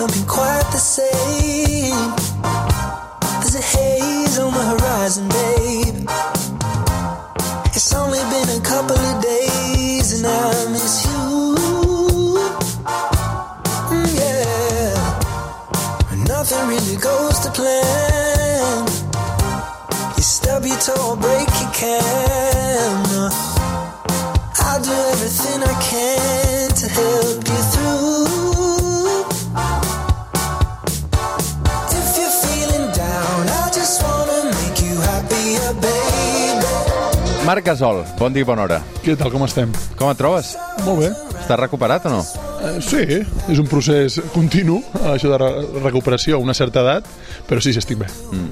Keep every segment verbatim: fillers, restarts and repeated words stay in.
don't be quite the same. There's a haze on the horizon, babe. It's only been a couple of days and I miss you. Mm, yeah. And nothing really goes to plan. You stub your toe or break your can. I'll do everything I can to help you through. If you're feeling down, I just wanna make you happier, baby. Marc Gasol, bon dia i bona hora. Què tal, com estem? Com et trobes? Molt bé. Estàs recuperat o no? Eh, sí, és un procés continu, això de re recuperació a una certa edat, però sí, sí, estic bé. Mm.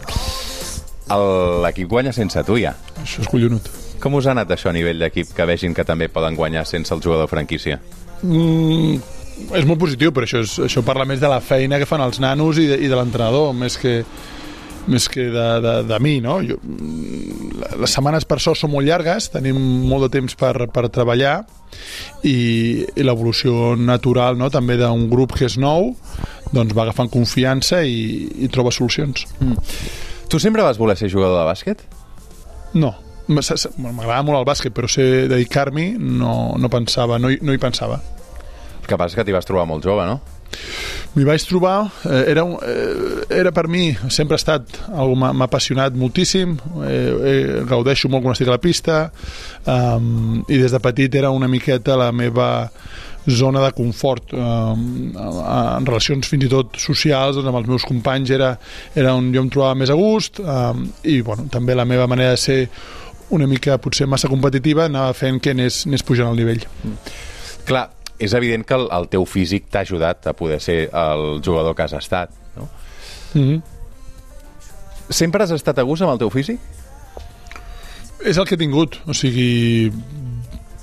L'equip guanya sense tu, ja. Això és collonut. Com us ha anat això a nivell d'equip, que vegin que també poden guanyar sense el jugador franquícia? Mm, és molt positiu, però això, és, això parla més de la feina que fan els nanos i de, i de l'entrenador, més que, més que de, de, de mi, no? Jo, les setmanes per això són molt llargues, tenim molt de temps per, per treballar i, i l'evolució natural, no? També d'un grup que és nou, doncs va agafant confiança i, i troba solucions. Mm. Tu sempre vas voler ser jugador de bàsquet? No. M'agrada molt el bàsquet, però ser dedicar-m'hi no, no pensava, no hi, no hi pensava. El que passa és que t'hi vas trobar molt jove, no? M'hi vaig trobar, eh, era, un, eh, era per mi, sempre ha estat algo, m'ha apassionat moltíssim, eh, eh, gaudeixo molt quan estic a la pista, um, i des de petit era una miqueta la meva zona de confort, um, en relacions fins i tot socials, doncs amb els meus companys era, era on jo em trobava més a gust, um, i bueno, també la meva manera de ser una mica potser massa competitiva anava fent que anés, anés pujant el nivell. Mm. Clar, és evident que el, el teu físic t'ha ajudat a poder ser el jugador que has estat, no? Mm-hmm. Sempre has estat a gust amb el teu físic? És el que he tingut, o sigui,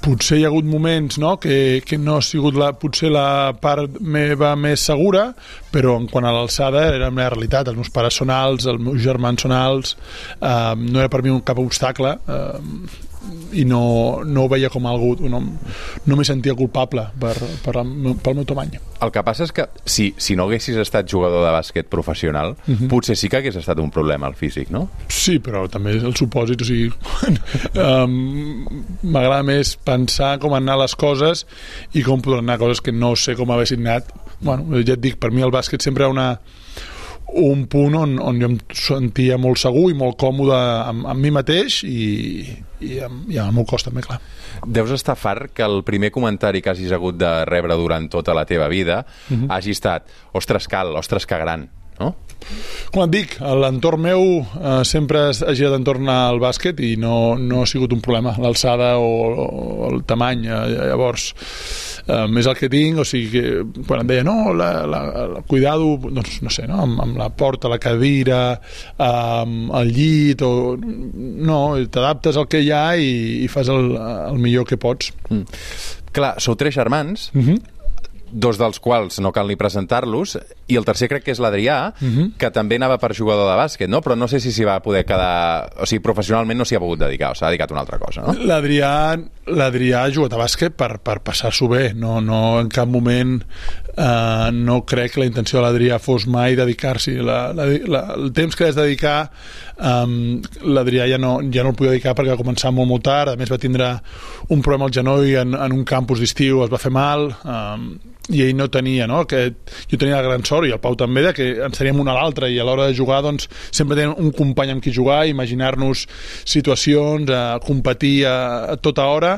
potser hi ha hagut moments, no?, que, que no ha sigut la, potser la part meva més segura, però en quant a l'alçada era la meva realitat. Els meus pares són alts, els meus germans són alts, eh, no era per mi un cap obstacle, eh, i no, no ho veia com algú, no, no m'hi sentia culpable per, per el meu, pel meu tamany. El que passa és que si, si no haguessis estat jugador de bàsquet professional, uh-huh. potser sí que hagués estat un problema el físic, no? Sí, però també el supòsit, o sigui, um, m'agrada més pensar com han anat les coses i com podran anar coses que no sé com haguessin anat. Bueno, ja et dic, per mi el bàsquet sempre era una un punt on, on jo em sentia molt segur i molt còmode amb, amb mi mateix i, i, amb, i amb el meu cos també, clar. Deus estar fart que el primer comentari que hagis hagut de rebre durant tota la teva vida uh-huh. hagi estat, ostres cal, ostres que gran, no? Com et dic, l'entorn meu eh, sempre ha girat entorn al bàsquet i no, no ha sigut un problema l'alçada o, o el tamany, eh, llavors eh, és el que tinc, o sigui que quan em deia no, la, la, la, cuidado, doncs no sé, no? Amb, amb la porta, la cadira, amb el llit, o, no, t'adaptes al que hi ha i, i fas el, el millor que pots. Mm. Clar, sou tres germans, mhm, dos dels quals no cal ni presentar-los, i el tercer crec que és l'Adrià, uh-huh. que també anava per jugador de bàsquet, no? Però no sé si s'hi va poder quedar... O sigui, professionalment no s'hi ha pogut dedicar, o s'ha dedicat a una altra cosa, no? L'Adrià l'Adrià ha jugat a bàsquet per, per passar-s'ho bé, no, no en cap moment eh, no crec que la intenció de l'Adrià fos mai dedicar-s'hi. La, la, la, el temps que has de dedicar um, l'Adrià ja no, ja no el podia dedicar perquè va començar molt molt tard, a més va tindre un problema al genoll en, en un campus d'estiu, es va fer mal, um, i ell no tenia, no? Que jo tenia la gran sort, i el Pau també, de que ens teníem un a l'altre, i a l'hora de jugar doncs, sempre tenim un company amb qui jugar, imaginar-nos situacions, a competir a, a tota hora.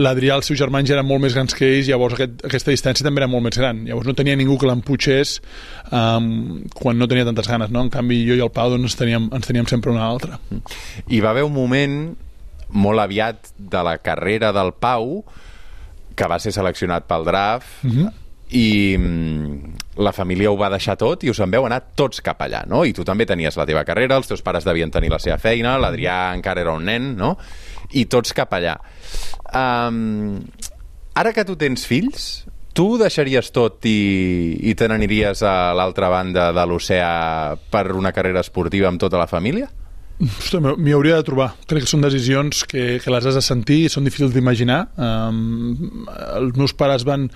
L'Adrià, els seus germans ja eren molt més grans que ells, llavors aquest, aquesta distància també era molt més gran, llavors no tenia ningú que l'emputxés um, quan no tenia tantes ganes, no? En canvi jo i el Pau doncs, ens, teníem, ens teníem sempre un a l'altre. Hi va haver un moment molt aviat de la carrera del Pau que va ser seleccionat pel draft, uh-huh. i mm, la família ho va deixar tot i us en veu anar tots cap allà, no? I tu també tenies la teva carrera, els teus pares devien tenir la seva feina, l'Adrià encara era un nen, no? I tots cap allà. Um, ara que tu tens fills, tu deixaries tot i, i te n'aniries a l'altra banda de l'oceà per una carrera esportiva amb tota la família? M'hi hauria de trobar. Crec que són decisions que, que les has de sentir i són difícils d'imaginar. Um, els meus pares van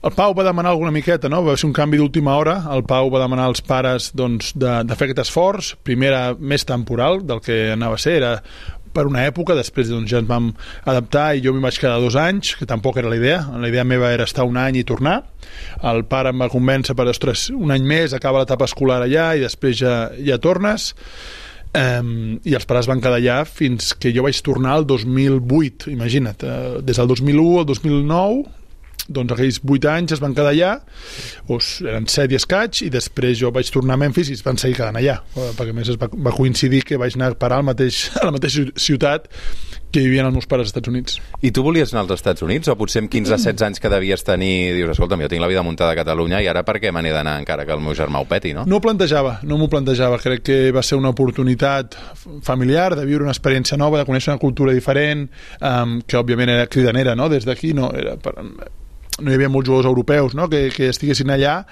el Pau va demanar alguna miqueta, no? Va ser un canvi d'última hora. El Pau va demanar als pares doncs, de, de fer aquest esforç. Primer era més temporal del que anava a ser, era per una època, després doncs, ja ens vam adaptar i jo m'hi vaig quedar dos anys, que tampoc era la idea. La idea meva era estar un any i tornar. El pare em va convèncer per, ostres, un any més, acaba l'etapa escolar allà i després ja, ja tornes. Um, i els pares van quedar allà fins que jo vaig tornar el dos mil vuit, imagina't, uh, des del dos mil u al dos mil nou, doncs aquells vuit anys es van quedar allà, doncs eren set i escaig, i després jo vaig tornar a Memphis i es van seguir quedant allà, perquè a més es va, va coincidir que vaig anar a parar al mateix, a la mateixa ciutat que vivien els meus pares als Estats Units. I tu volies anar als Estats Units? O potser amb quinze setze anys que devies tenir dius, escolta'm, jo tinc la vida muntada a Catalunya i ara per què me n'he d'anar encara que el meu germà ho peti, no? No ho plantejava, no m'ho plantejava. Crec que va ser una oportunitat familiar de viure una experiència nova, de conèixer una cultura diferent, um, que òbviament era cridanera, no? Des d'aquí no era... Per... no hi havia molts jugadors europeus, no? que, que estiguessin allà,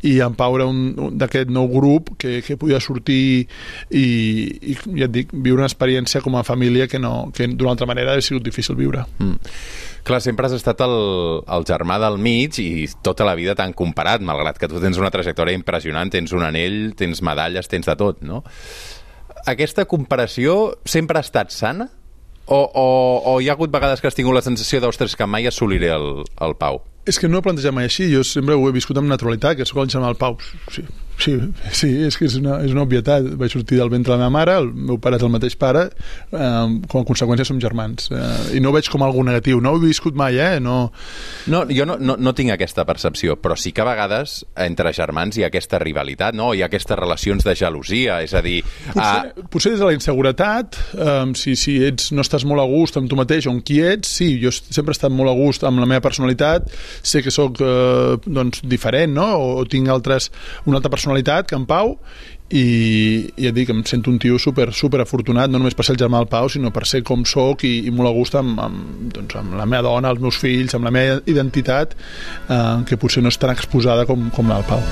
i en Pau era un, un d'aquest nou grup que, que podia sortir i, i ja et dic, viure una experiència com a família que, no, que d'una altra manera hauria sigut difícil viure. Mm. Clar, sempre has estat el, el germà del mig i tota la vida t'han comparat, malgrat que tu tens una trajectòria impressionant, tens un anell, tens medalles, tens de tot, no? Aquesta comparació sempre ha estat sana? O, o, o hi ha hagut vegades que has tingut la sensació d'ostres, que mai assoliré el, el Pau? És que no he plantejat mai així, jo sempre ho he viscut amb naturalitat, que sóc el germà del Pau. Sí, sí, sí, és que és una, és una obvietat. Vaig sortir del ventre de la meva mare, el meu pare és el mateix pare, eh, com a conseqüència som germans. Eh, I no ho veig com algú negatiu, no ho he viscut mai, eh? No, no jo no, no, no tinc aquesta percepció, però sí que a vegades entre germans hi ha aquesta rivalitat, no? Hi ha aquestes relacions de gelosia, és a dir... Potser, a... potser des de la inseguretat, eh, si, si ets, no estàs molt a gust amb tu mateix o amb qui ets, sí, jo sempre he estat molt a gust amb la meva personalitat, sé que sóc eh, doncs, diferent, no? O, o tinc altres, una altra personalitat que en Pau, i, i ja dic, em sento un tio super, super afortunat, no només per ser el germà del Pau, sinó per ser com soc i, i molt a gust amb, amb, doncs, amb la meva dona, els meus fills, amb la meva identitat, eh, que potser no és tan exposada com, com la del Pau.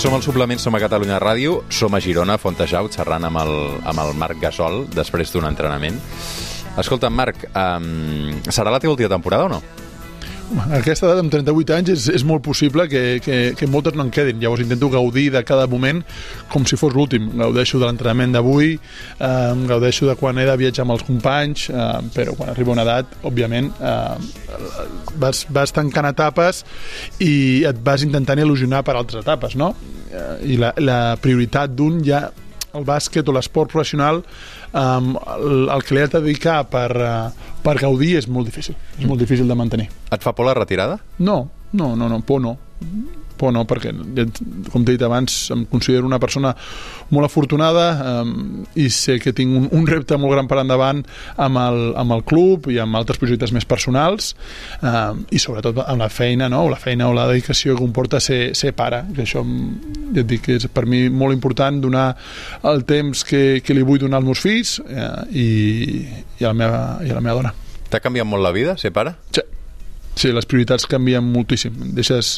Som al Suplement, som a Catalunya Ràdio, som a Girona, a Fontejau, xerrant amb el, amb el Marc Gasol després d'un entrenament. Escolta, Marc, um, serà la teva última temporada o no? A aquesta edat, amb trenta-vuit anys, és, és molt possible que, que, que moltes no en quedin. Llavors intento gaudir de cada moment com si fos l'últim. Gaudeixo de l'entrenament d'avui, eh, gaudeixo de quan he de viatjar amb els companys, eh, però quan arriba una edat, òbviament, eh, vas, vas tancant etapes i et vas intentant il·lusionar per altres etapes, no? I la, la prioritat d'un ja... el bàsquet o l'esport professional, um, el, el que li has de dedicar per, uh, per gaudir és molt difícil, és molt difícil de mantenir. Et fa por la retirada? No, no, no, no por no. Por no, perquè, com t'he dit abans, em considero una persona molt afortunada, um, i sé que tinc un, un repte molt gran per endavant amb el, amb el club i amb altres projectes més personals, um, i sobretot amb la feina, no? la feina o la dedicació que comporta ser, ser pare, que això ja et dic que és per mi molt important, donar el temps que, que li vull donar als meus fills eh, i, i, a la meva, i a la meva dona. T'ha canviat molt la vida, ser pare? Sí, sí, les prioritats canvien moltíssim. Deixes,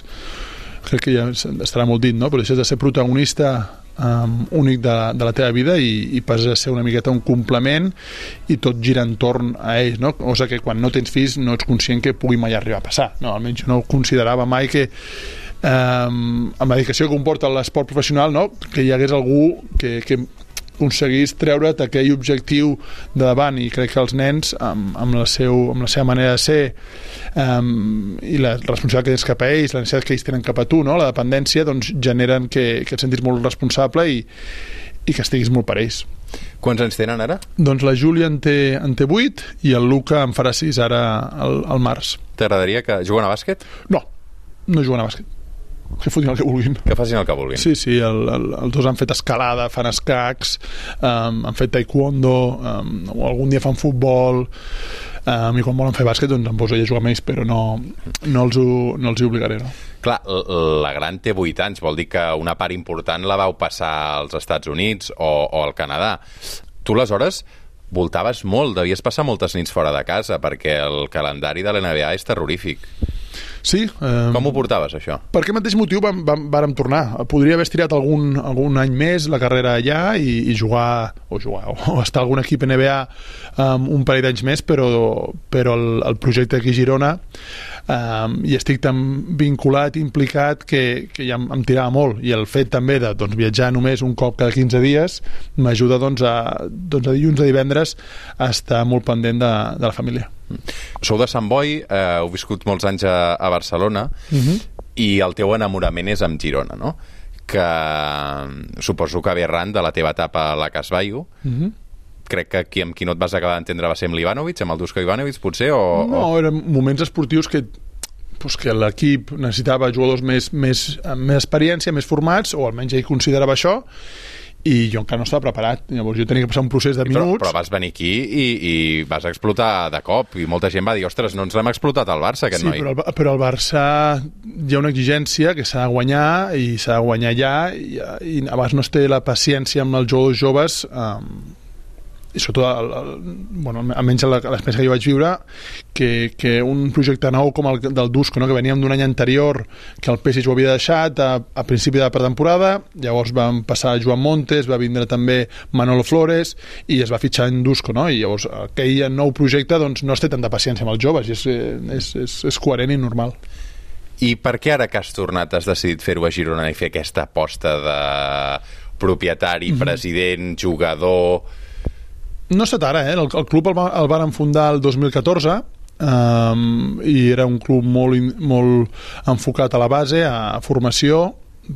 crec que ja estarà molt dit, no? Però deixes de ser protagonista um, únic de, de la teva vida i, i passes a ser una miqueta un complement i tot gira entorn a ells, no? O sigui que quan no tens fills no ets conscient que pugui mai arribar a passar, no? Almenys jo no considerava mai que um, amb la dedicació que comporta l'esport professional, no? Que hi hagués algú que, que aconseguís treure't aquell objectiu de davant, i crec que els nens amb, amb, la, seu, amb la seva manera de ser um, i la responsabilitat que tens cap a ells, la necessitat que ells tenen cap a tu, no? La dependència, doncs generen que, que et sentis molt responsable i, i que estiguis molt per ells. Quants anys tenen ara? Doncs la Júlia en té, en té vuit i el Luca en farà sis ara al, al març. T'agradaria que juguen a bàsquet? No, no juguen a bàsquet. Que fotin el que vulguin. Que facin el que vulguin. Sí, sí, el, el, els dos han fet escalada, fan escacs, um, han fet taekwondo, um, o algun dia fan futbol, um, i quan volen fer bàsquet doncs em poso a jugar més, però no, no, els ho, no els hi obligaré, no. Clar, la gran té vuit anys, vol dir que una part important la vau passar als Estats Units o, o al Canadà. Tu, aleshores, voltaves molt, devies passar moltes nits fora de casa, perquè el calendari de l'N B A és terrorífic. Sí. Eh, Com ho portaves, això? Per aquest mateix motiu vam, vam, vàrem tornar. Podria haver estirat algun, algun any més la carrera allà i, i jugar, o jugar, o estar a algun equip N B A um, un parell d'anys més, però, però el, el projecte aquí a Girona um, hi estic tan vinculat, implicat, que, que ja em, em tirava molt. I el fet també de doncs, viatjar només un cop cada quinze dies m'ajuda doncs, a, doncs, a dilluns a divendres a estar molt pendent de, de la família. Sou de Sant Boi, eh, heu viscut molts anys a, a Barcelona, uh-huh. i el teu enamorament és amb Girona, no? Que suposo que ve arran de la teva etapa a la Casbaio. Uh-huh. Crec que aquí amb qui no et vas acabar d'entendre va ser amb l'Ivanovic, amb el Dusko Ivanovic, potser? O, no, o... eren moments esportius que pues que l'equip necessitava jugadors més, més, amb més experiència, més formats, o almenys ell considerava això, i jo encara no estava preparat. Llavors jo tenia que passar un procés de minuts. Però, però vas venir aquí i, i vas explotar de cop, i molta gent va dir, ostres, no ens l'hem explotat al Barça, aquest sí, noi. Sí, però, el, però al Barça hi ha una exigència que s'ha de guanyar, i s'ha de guanyar allà, i, i a vegades no es té la paciència amb els jugadors joves, um, i sobretot el, el, bueno, almenys l'experiència que jo vaig viure, que, que un projecte nou com el del Dusko, no? Que veníem d'un any anterior que el P S G ho havia deixat a, a principi de la pretemporada, llavors vam passar a Joan Montes, va vindre també Manolo Flores i es va fitxar en Dusko, no? I llavors aquell nou projecte doncs, no es té tanta paciència amb els joves, i és, és, és, és coherent i normal. I per què ara que has tornat has decidit fer-ho a Girona i fer aquesta aposta de propietari, mm-hmm. president, jugador... No ha estat ara, eh? El, el club el, el van fundar el dos mil catorze, um, i era un club molt, in, molt enfocat a la base, a, a formació,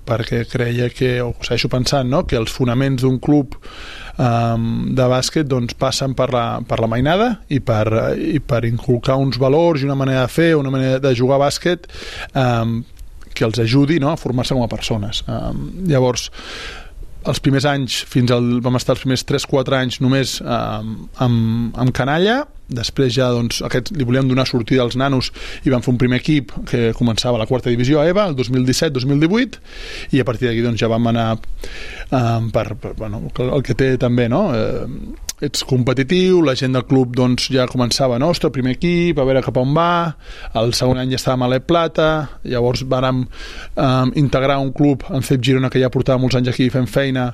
perquè creia que, o segueixo pensant, no? Que els fonaments d'un club um, de bàsquet doncs, passen per la, per la mainada i per, i per inculcar uns valors i una manera de fer, una manera de jugar a bàsquet um, que els ajudi, no? A formar-se com a persones. Um, llavors, els primers anys, fins al, vam estar els primers tres quatre anys només eh, amb, amb canalla, després ja doncs, aquest, li volíem donar sortida als nanos i vam fer un primer equip que començava a la quarta divisió a EVA, el dos mil disset dos mil divuit, i a partir d'aquí doncs, ja vam anar eh, per, per bueno, el que té també, no? Eh, ets competitiu, la gent del club doncs, ja començava, no? Ostres, primer equip, a veure cap on va, el segon any ja estàvem a l'E Plata, llavors vàrem um, integrar un club en C E P Girona que ja portava molts anys aquí fent feina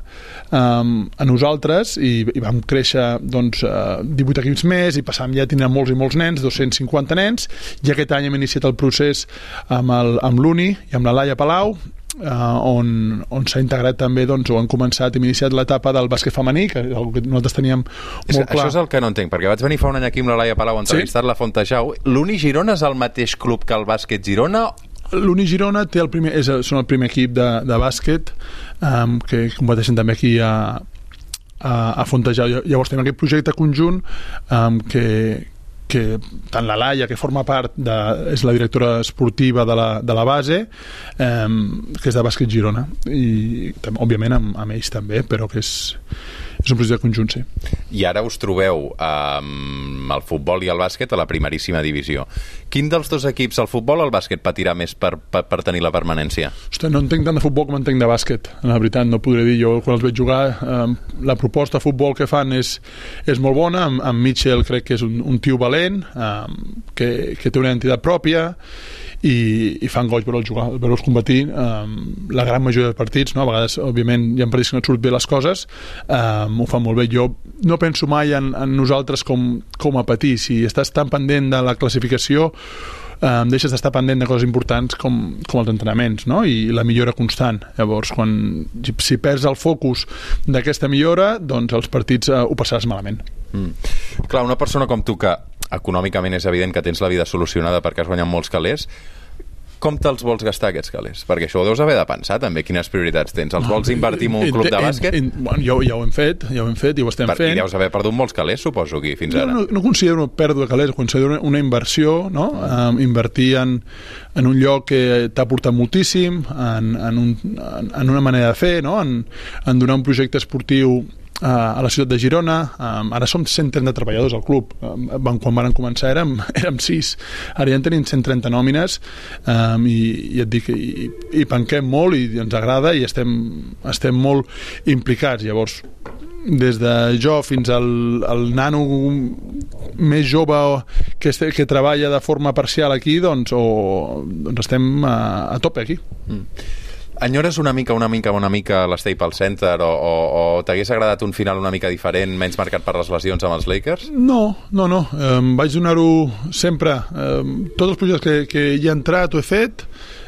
um, a nosaltres, i, i vam créixer doncs, uh, divuit equips més, i passàvem ja a tenir molts i molts nens, dos-cents cinquanta nens, i aquest any hem iniciat el procés amb, el, amb l'Uni i amb la Laia Palau, Uh, on, on s'ha integrat també, doncs, o han començat, hem iniciat l'etapa del bàsquet femení, que és que nosaltres teníem molt és, clar. Això és el que no entenc, perquè vaig venir fa un any aquí amb la Laia Palau a entrevistar-la, sí? A Fontejau. L'Uni Girona és el mateix club que el bàsquet Girona? L'Uni Girona té el primer, és, són el primer equip de, de bàsquet um, que competeixen també aquí a, a, a Fontejau. Llavors tenim aquest projecte conjunt um, que que tant la Laia, que forma part de, és la directora esportiva de la, de la base, eh, que és de bàsquet Girona, i òbviament amb, amb ells també, però que és, és un projecte conjunt, sí. I ara us trobeu amb el futbol i el bàsquet a la primeríssima divisió. Quin dels dos equips, el futbol o el bàsquet, patirà més per, per, per tenir la permanència? Hosta, no entenc tant de futbol com entenc de bàsquet, la veritat, no podré dir. Jo quan els veig jugar, eh, la proposta de futbol que fan és, és molt bona, amb, amb Mitchell crec que és un, un tio valent, eh, que, que té una identitat pròpia, i, i fan goig veure'ls jugar, veure'ls competir eh, la gran majoria de partits, no? A vegades òbviament hi ha partits que no et surt bé les coses, eh, ho fan molt bé. Jo no penso mai en, en nosaltres com, com a patir. Si estàs tan pendent de la classificació, eh, deixes d'estar pendent de coses importants com, com els entrenaments, no? I la millora constant. Llavors, quan, si perds el focus d'aquesta millora, doncs els partits eh, ho passaràs malament. Mm. Clar, una persona com tu, que econòmicament és evident que tens la vida solucionada perquè has guanyat molts calés, com te'ls vols gastar, aquests calés? Perquè això ho deus haver de pensar, també, quines prioritats tens. Els vols invertir en un club de bàsquet? En, en, bueno, ja, ja ho hem fet, ja ho hem fet, i ho estem per, fent. I deus haver perdut molts calés, suposo, aquí, fins ara. No, no, no considero una pèrdua de calés, considero una inversió, no? Um, invertir en, en un lloc que t'ha portat moltíssim, en, en, un, en, en una manera de fer, no? En, en donar un projecte esportiu a la ciutat de Girona. Um, ara som cent trenta treballadors al club. Um, quan van començar érem, érem sis. Ara ja en tenim cent trenta nòmines um, i, i et dic, i, i penquem molt i ens agrada i estem, estem molt implicats. Llavors, des de jo fins al, al nano més jove que, este, que treballa de forma parcial aquí, doncs, o, doncs estem a, a tope aquí. Mm. Enyores una mica, una mica, una mica l'Staples Center o, o, o t'hagués agradat un final una mica diferent, menys marcat per les lesions amb els Lakers? No, no, no. Um, vaig donar-ho sempre. Um, tots els projectes que, que hi he entrat ho he fet,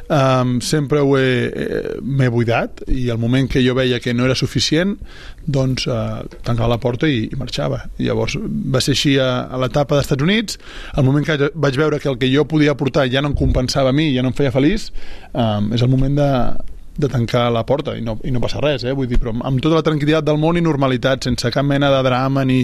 um, sempre ho he, eh, m'he buidat i al moment que jo veia que no era suficient, doncs uh, tancava la porta i, i marxava. I llavors va ser així a, a l'etapa dels Estats Units. Al moment que vaig veure que el que jo podia aportar ja no em compensava a mi, ja no em feia feliç, um, és el moment de de tancar la porta i no, i no passa res, eh? Vull dir, però amb tota la tranquil·litat del món i normalitat, sense cap mena de drama ni,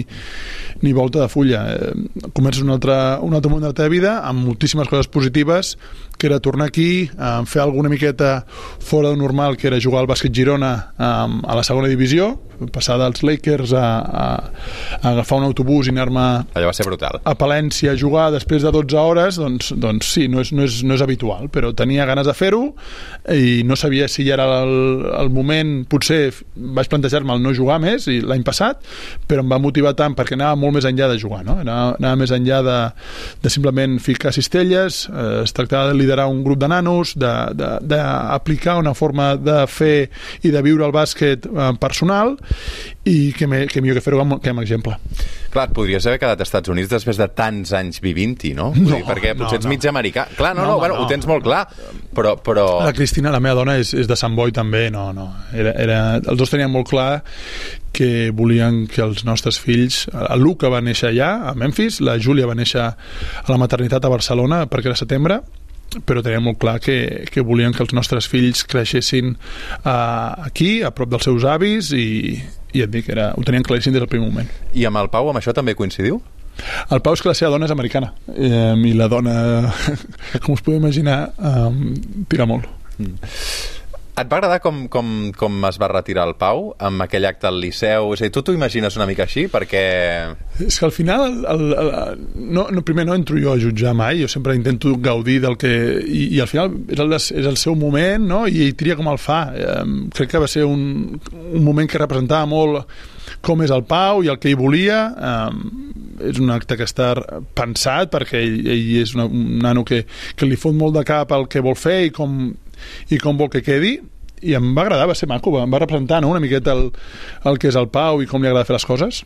ni volta de fulla. Eh, comences un altre, un altre moment de la teva vida amb moltíssimes coses positives, que era tornar aquí, eh, fer alguna miqueta fora de normal, que era jugar al bàsquet Girona eh, a la segona divisió, passar dels Lakers a, a, a agafar un autobús i anar-me allò va ser brutal. A Palència a jugar després de dotze hores, doncs, doncs sí, no és, no, és, no és habitual, però tenia ganes de fer-ho i no sabia si ja era el, el moment. Potser vaig plantejar-me el no jugar més i l'any passat, però em va motivar tant perquè anava molt més enllà de jugar, no? Anava, anava més enllà de, de simplement ficar cistelles, eh, es tractava de liderar un grup de nanos, d'aplicar una forma de fer i de viure el bàsquet eh, personal, i que, me, que millor que fer-ho amb, que amb exemple. Clar, et podries haver quedat als Estats Units després de tants anys vivint-hi, no? no dir, perquè potser no, ets no. mig americà. Clar, no, no, no, bueno, no, ho tens molt clar, però, però... La Cristina, la meva dona, és, és de Sant Boi també, no, no. Era, era, els dos tenien molt clar que volien que els nostres fills... El Luca va néixer allà, a Memphis, la Júlia va néixer a la maternitat a Barcelona perquè era setembre, però teníem molt clar que, que volien que els nostres fills creixessin uh, aquí, a prop dels seus avis, i, i et dic, era, ho tenien claríssim des del primer moment. I amb el Pau, amb això també coincidiu? El Pau és que la seva dona és americana, eh, i la dona, com us podeu imaginar, um, tira molt. Mm. Et va agradar com, com, com es va retirar el Pau amb aquell acte al Liceu? És a dir, tu t'ho imagines una mica així? Perquè... És que al final el, el, el, no, no, primer no entro jo a jutjar mai, jo sempre intento gaudir del que... I, i al final és el, és el seu moment, no? I ell tria com el fa. Eh, crec que va ser un, un moment que representava molt com és el Pau i el que ell volia. Eh, és un acte que està pensat perquè ell, ell és una, un nano que, que li fot molt de cap el que vol fer i com... i com vol que quedi, i em va agradar, va ser maco, em va representar, no?, una miqueta el, el que és el Pau i com li agrada fer les coses.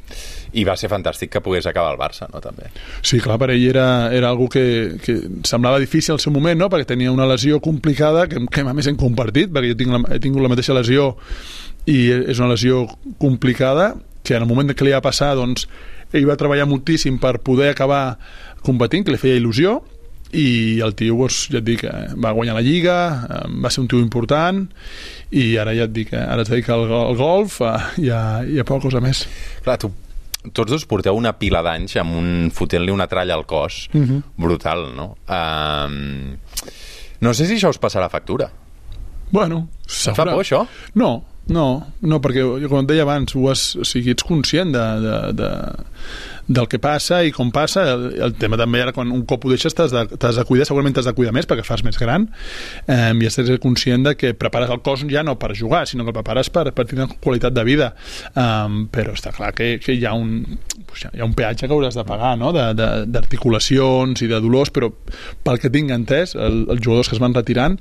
I va ser fantàstic que pogués acabar al Barça, no?, també. Sí, clar, per ell era, era algo que, que semblava difícil al seu moment, no?, perquè tenia una lesió complicada que, que a més hem compartit, perquè jo tinc la, he tingut la mateixa lesió i és una lesió complicada que en el moment que li va passar, doncs, ell va treballar moltíssim per poder acabar competint, que li feia il·lusió, i el tio, doncs, ja et dic, va guanyar la Lliga, va ser un tio important, i ara ja et dic, ara es dedica al, al golf i a, i a poca cosa més. Clar, tu, tots dos porteu una pila d'anys amb un fotent-li una tralla al cos, uh-huh. brutal, no? Um, no sé si això us passarà factura. Bueno, et fa por, això? No, no, no, perquè com et deia abans, ho has, o sigui, ets conscient de, de, de, del que passa i com passa. El, el tema també era quan un cop ho deixes t'has de, t'has de cuidar, segurament t'has de cuidar més perquè fas més gran, eh, i has de ser conscient de que prepares el cos ja no per jugar, sinó que el prepares per, per tenir qualitat de vida, um, però està clar que, que hi ha un hi ha un peatge que hauràs de pagar, no?, de, de, d'articulacions i de dolors, però pel que tinc entès, el, els jugadors que es van retirant,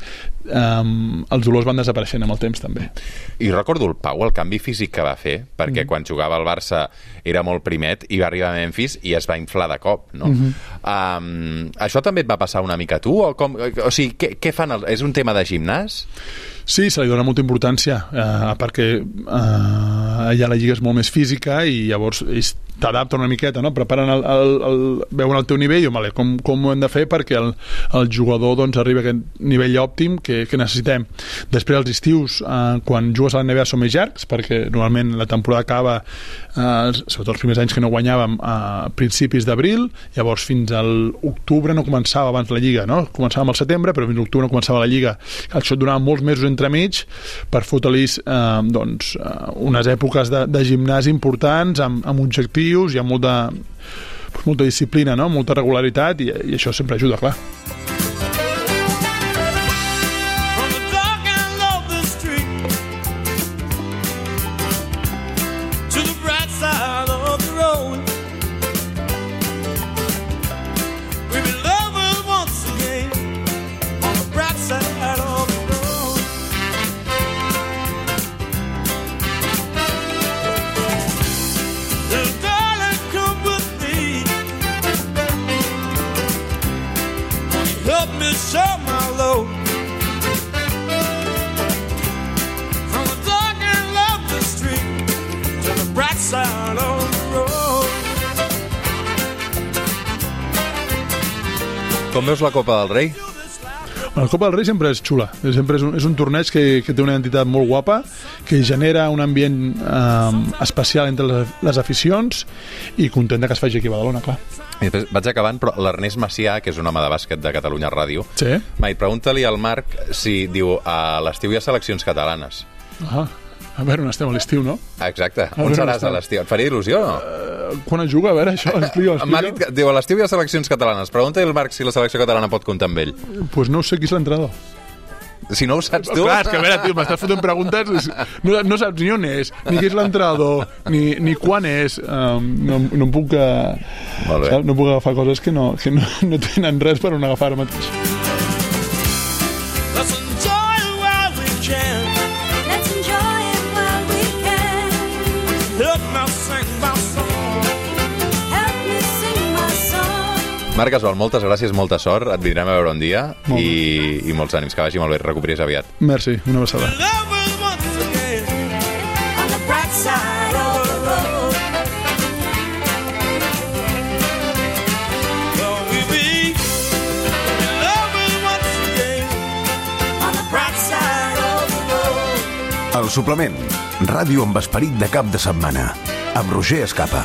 um, els dolors van desapareixent amb el temps també. I recordo el Pau, el canvi físic que va fer, perquè mm. quan jugava al Barça era molt primet i va arribar a Memphis i es va inflar de cop, no? Mm-hmm. Um, això també et va passar una mica a tu? O, com, o sigui, què, què fan? El, és un tema de gimnàs? Sí, se li dona molta importància, eh, perquè eh, allà la lliga és molt més física i llavors ells t'adapten una miqueta, no? Preparen el, el, el, veuen el teu nivell i vale, com, com ho hem de fer perquè el, el jugador doncs, arribi a aquest nivell òptim que, que necessitem. Després els estius, eh, quan jugues a la N B A són més llargs, perquè normalment la temporada acaba, eh, sobretot els primers anys que no guanyàvem, a principis d'abril, llavors fins a l'octubre no començava abans la lliga, no? Començàvem al setembre, però fins a l'octubre no començava la lliga. Això et donava molts mesos entremig per fotre-li eh, doncs, eh, unes èpoques de, de gimnàs importants amb, amb objectius i amb molta, molta disciplina, no? Molta regularitat i, i això sempre ajuda, clar. Com veus la Copa del Rei? La Copa del Rei sempre és xula, sempre és un, és un torneig que, que té una identitat molt guapa, que genera un ambient eh, especial entre les, les aficions i content que es faci aquí a Badalona, clar. I després vaig acabant, però l'Ernest Macià, que és un home de bàsquet de Catalunya Ràdio, sí? Mai, pregunta-li al Marc si, diu, a l'estiu hi ha seleccions catalanes. Ah, a veure on estem a l'estiu, no? Exacte, on seràs a l'estiu? Et faria il·lusió o no? Uh, quan es juga, a veure, això, explica, explica. M'ha dit que, diu, a l'estiu hi ha seleccions catalanes. Pregunta-li al Marc si la selecció catalana pot comptar amb ell. Doncs pues no sé qui és l'entrenador. Si no ho saps tu... Clar, és que a veure, tio, m'estàs fotent preguntes, no, no saps ni on és, ni qui és l'entrenador, ni, ni quan és, um, no, no em puc... Uh, saps? No puc agafar coses que no, que no, no tenen res per on agafar ara mateix. Let's enjoy it while we can. Let's enjoy it while we can. Help me sing my song. Help me sing my song. Marc Gasol, moltes gràcies, molta sort. Et vindrem a veure un dia i, i molts ànims, que vagi molt bé, et recuperis aviat. Merci, una abraçada. El suplement, ràdio amb esperit de cap de setmana, amb Roger Escapa.